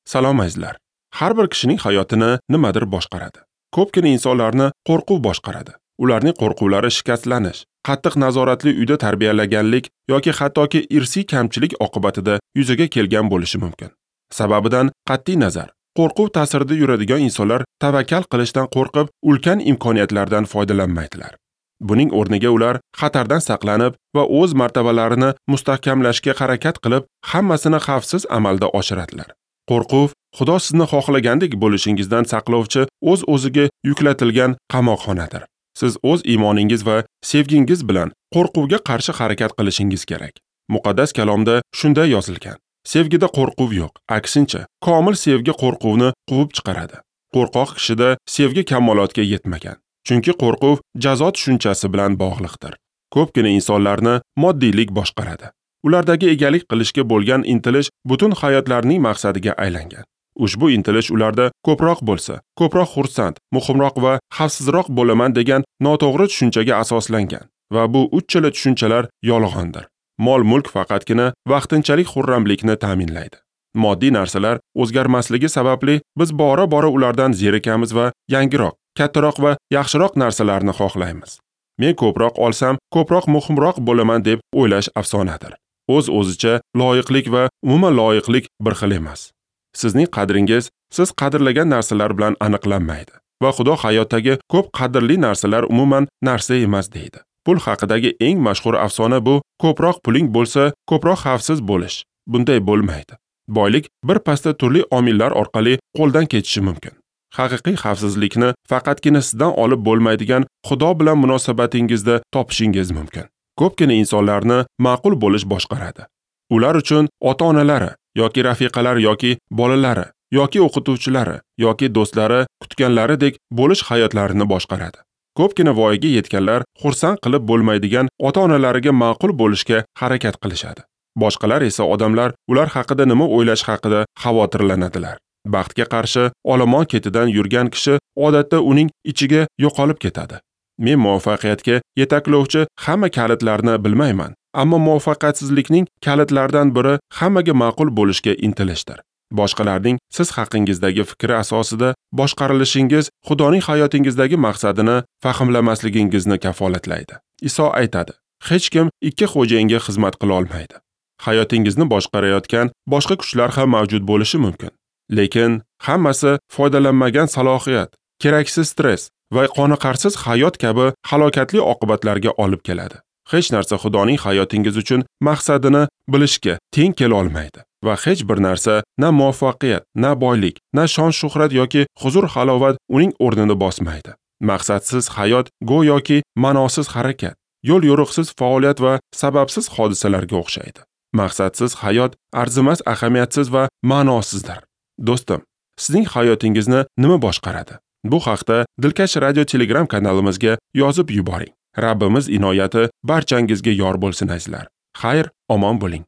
Salom azizlar. Har bir kishining hayotini nimadir boshqaradi. Ko'pgina insonlarni qo'rquv boshqaradi. Ularning qo'rquvlari shikastlanish, qattiq nazoratli uyda tarbiyalaganlik yoki hattoki irsiy kamchilik oqibatida yuzaga kelgan bo'lishi mumkin. Sababidan qat'iy nazar, qo'rquv ta'sirida yuradigan insonlar tavakkal qilishdan qo'rqib, ulkan imkoniyatlardan foydalanmaydilar. Buning o'rniga ular xatardan saqlanib va o'z martabalarini mustahkamlashga harakat qilib, hammasini xavfsiz amalda oshiradilar. Qo'rquv Xudo sizni xohlagandek bo'lishingizdan saqlovchi o'z-o'ziga yuklatilgan qamoqxonadir. Siz o'z iymoningiz va sevgingiz bilan qo'rquvga qarshi harakat qilishingiz kerak. Muqaddas kalomda shunday yozilgan: sevgida qo'rquv yo'q, aksincha, komil sevgi qo'rquvni quvib chiqaradi. Qo'rqoq kishida sevgi kamolotga yetmagan. Chunki qo'rquv jazo tushunchasi bilan bog'liqdir. Ko'pgina insonlarni moddiylik boshqaradi. Ulardagi egalik qilishga bo'lgan intilish butun hayotlarining maqsadiga aylangan. Ushbu intilish ularda ko'proq bo'lsa, ko'proq xursand, muhimroq va xavfsizroq bo'laman degan noto'g'ri tushunchaga asoslangan va bu uchala tushunchalar yolg'ondir. Mol-mulk faqatgina vaqtinchalik xurramlikni ta'minlaydi. Moddiy narsalar o'zgarmasligi sababli biz bora-bora ulardan zerikamiz va yangiroq, kattaroq va yaxshiroq narsalarni xohlaymiz. Men ko'proq olsam, ko'proq muhimroq bo'laman deb o'ylash afsonadir. O'z-o'zicha loyiqlik va umuman loyiqlik bir xil emas. Sizning qadringiz siz qadrlagan narsalar bilan aniqlanmaydi va Xudo hayotdagi ko'p qadrli narsalar umuman narsa emas deydi. Pul haqidagi eng mashhur afsona bu ko'proq puling bo'lsa, ko'proq xavfsiz bo'lish. Bunday bo'lmaydi. Boylik bir pasda turli omillar orqali qo'ldan ketishi mumkin. Haqiqiy xavfsizlikni faqatgina sizdan olib bo'lmaydigan Xudo bilan munosabatingizda topishingiz mumkin. Ko'pgina insonlarni ma'qul bo'lish boshqaradi. Ular uchun ota-onalari yoki rafiqalari yoki bolalari yoki o'qituvchilari yoki do'stlari kutganlaridek bo'lish hayotlarini boshqaradi. Ko'pgina voyaga yetganlar xursand qilib bo'lmaydigan ota-onalariga ma'qul bo'lishga harakat qilishadi. Boshqalar esa odamlar ular haqida nima o'ylash haqida xavotirlanadilar. Baxtga qarshi olomon ketidan yurgan kishi odatda uning ichiga yo'qolib ketadi. Men muvaffaqiyatga yetaklovchi hamma kalitlarni bilmayman, ammo muvaffaqiyatsizlikning kalitlaridan biri hammaga ma'qul bo'lishga intilishdir. Boshqalarning siz haqingizdagi fikri asosida boshqarilishingiz Xudoning hayotingizdagi maqsadini fahmlamasligingizni kafolatlaydi. Iso aytadi: hech kim ikki xo'jayinga xizmat qila olmaydi. Hayotingizni boshqarayotgan boshqa kuchlar ham mavjud bo'lishi mumkin. Lekin hammasi foydalanmagan salohiyat, keraksiz stress va qoniqarsiz hayot kabi halokatli oqibatlarga olib keladi. Hech narsa Xudoning hayotingiz uchun maqsadini bilishga teng kela olmaydi va hech bir narsa na muvaffaqiyat, na boylik, na shon-shuhrat yoki huzur-halovat uning o'rnini bosmaydi. Maqsadsiz hayot go'yoki ma'nosiz harakat, yo'l-yo'riqsiz faoliyat va sababsiz hodisalarga o'xshaydi. Maqsadsiz hayot arzimas, ahamiyatsiz va ma'nosizdir. Do'stim, sizning hayotingizni nima boshqaradi? Bu haqda Dilkash Radio Telegram kanalimizga yozib yuboring. Rabbimiz inoyati barchangizga yor bo'lsin azizlar. Xayr, omon bo'ling.